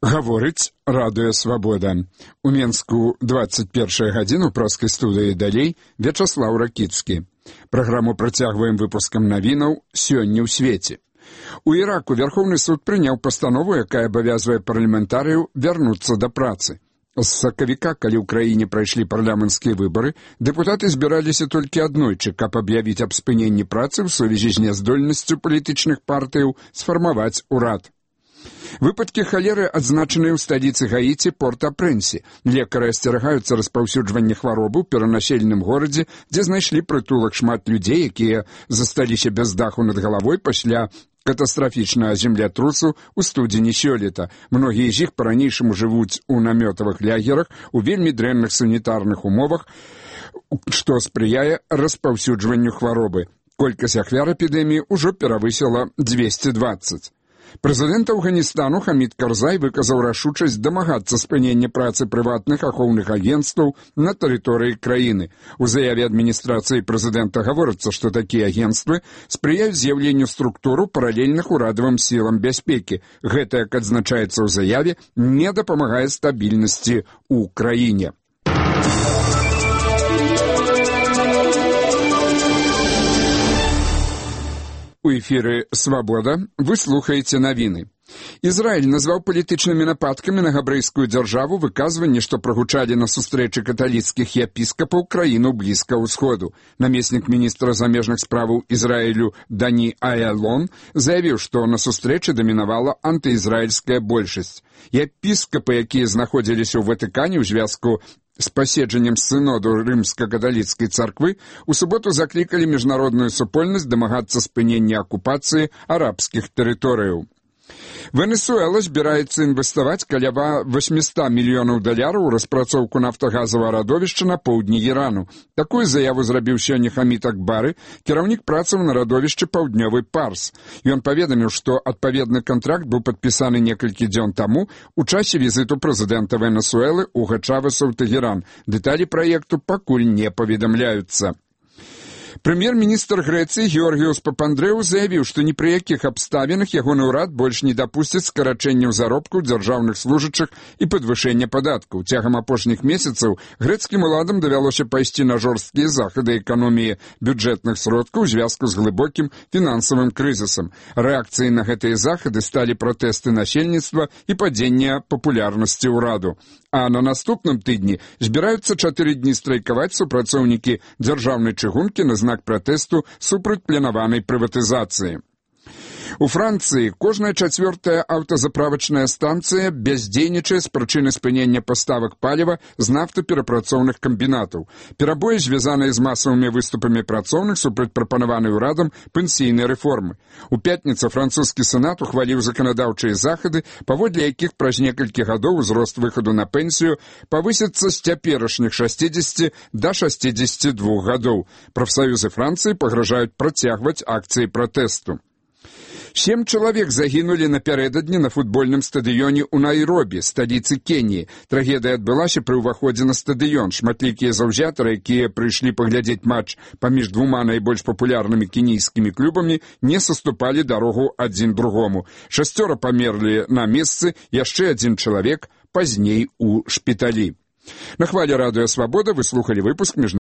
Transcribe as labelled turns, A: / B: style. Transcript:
A: Гаворыць радыё «Свабода». У Менску 21 гадзіну праскай студыі далей Вячаслаў Ракіцкі. Праграму працягваем выпускам навінаў «Сёння ў свеце». У Іраку Верховны суд прыняў пастанову, якая абавязвае парламентарыяў вярнуцца да працы. З сакавіка, калі ў краіне прайшлі парламенцкія выбары, дэпутаты збіраліся толькі аднойчы, каб аб'явіць аб спыненні працы ў сувязі з няздольнасцю палітычных партыяў сфармаваць урад. Выпадкі халеры адзначаныя ў сталіцы Гаіці Порт-а-Прэнсе. Лекары асцерагаюцца распаўсюджвання хваробы ў перанаселеным горадзе, дзе знайшлі прытулак шмат людзей, якія засталіся без даху над галавой пасля катастрафічнага землятрусу ў студзені сёлета. Многія з іх па-ранейшаму жывуць у намётавых лагерах у вельмі дрэнных санітарных умовах, што спрыяе распаўсюджванню хваробы. Колькасць ахвяр эпідэміі ўжо перавысіла 220. Прэзідэнт Афганістану Хамід Карзай выказаў рашучасць дамагацца спынення працы прыватных ахоўных агенцтваў на тэрыторыі краіны. У заяве адміністрацыі прэзідэнта гаворыцца, што такія агенцтвы спрыяюць з'яўленню структуру паралельных урадавым сілам бяспекі. Гэта, як адзначаецца ў заяве, не дапамагае стабільнасці ў краіне. У эфіры «Свабода» вы слухаеце навіны. Ізраіль назваў палітычнымі нападкамі на габрэйскую дзяржаву выказванні, што прагучалі на сустрэчы каталіцкіх епіскапаў краіну Блізкага ўсходу. Намеснік міністра замежных справаў Ізраілю Дані Аялон заявіў, што на сустрэчы дамінавала антыізраільская большасць. Епіскапы, якія знаходзіліся ў Ватыкане ў звязку з паседжаннем сыноду рымска-каталіцкай царквы, у суботу заклікалі міжнародную супольнасць дамагацца спынення акупацыі арабскіх тэрыторыяў. Венесуэла збіраецца інвеставаць каля $800 мільёнаў у распрацоўку нафтагазавага радовішча на поўдні Ірану. Такую заяву зрабіў сёння Хамід Акбары, кіраўнік працаў на радовішчы «Паўднёвы Парс». Ён паведаміў, што адпаведны кантракт быў падпісаны некалькі дзён таму у часе візіту прэзідэнта Венесуэлы Уга Чавеса ў Тэгеран. Дэталі праекту пакуль не паведамляюцца. Прэм'ер-міністр Грэцыі Георгіус Папандрэу заявіў, што ні пры якіх абставінах ягоны ўрад больш не дапусціць скарачэнняў заробкаў дзяржаўных служачых і падвышэння падаткаў. Цягам апошніх месяцаў грэцкім уладам давялося пайсці на жорсткія захады эканоміі бюджэтных сродкаў у звязку з глыбокім фінансавым крызісам. Рэакцыяй на гэтыя захады сталі пратэсты насельніцтва і падзенне папулярнасці ўраду. А на наступным тыдні збіраюцца 4 дні страйкаваць супрацоўнікі дзяржаўнай чыгункі на знак пратэсту супраць планаванай прыватызацыі. У Францыі кожная 4-я аўтазаправачная станцыя бяздзейнічае з прычыны спынення паставак паліва з нафтаперапрацоўных камбінатаў. Перабоі звязаныя з масавымі выступамі працоўных супраць прапанаванай урадам пенсійнай рэформы. У пятніцу французскі сенат ухваліў заканадаўчыя захады, паводле якіх праз некалькі гадоў узрост выхаду на пенсію павысіцца з цяперашніх 60 да 62 гадоў. Прафсаюзы Францыі пагражаюць працягваць акцыі пратэсту. 7 чалавек загінулі напярэдадні на футбольным стадыёне ў Найробі, сталіцы Кеніі. Трагедыя адбылася пры ўваходзе на стадыён. Шматлікія заўзятары, якія прыйшлі паглядзець матч паміж двума найбольш папулярнымі кенійскімі клубамі, не саступалі дарогу адзін другому. 6 памерлі на месцы, яшчэ 1 чалавек пазней у шпіталі. На хвале радыё «Свабода» вы слухалі выпуск